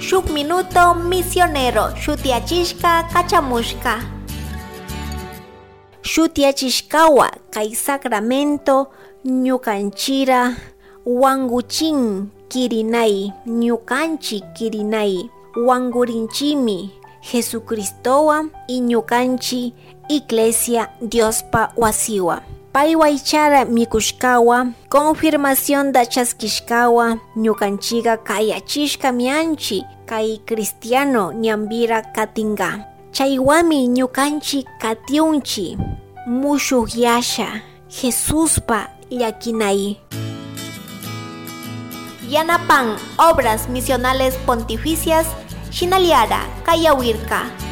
Shuk Minuto Misionero shutiyachishka kachamushka. Shutiyachishkawa kay sacramento ñukanchira wanguchin kirinay, ñukanchik kirinay, wangurinchimi Jesucristowan y ñukanchik Iglesia Diospa wasiwa. Pay waychara mikushkawa, confirmacionda chaskishkawa, ñukanchiga kayachishka mianchi kay cristiano ñambira katinga. Chaywami ñukanchik katiunchi mushukyasha Jesuspa llakinay. Yanapan Obras Misionales Pontificias, Shinaliara, Kayawirka.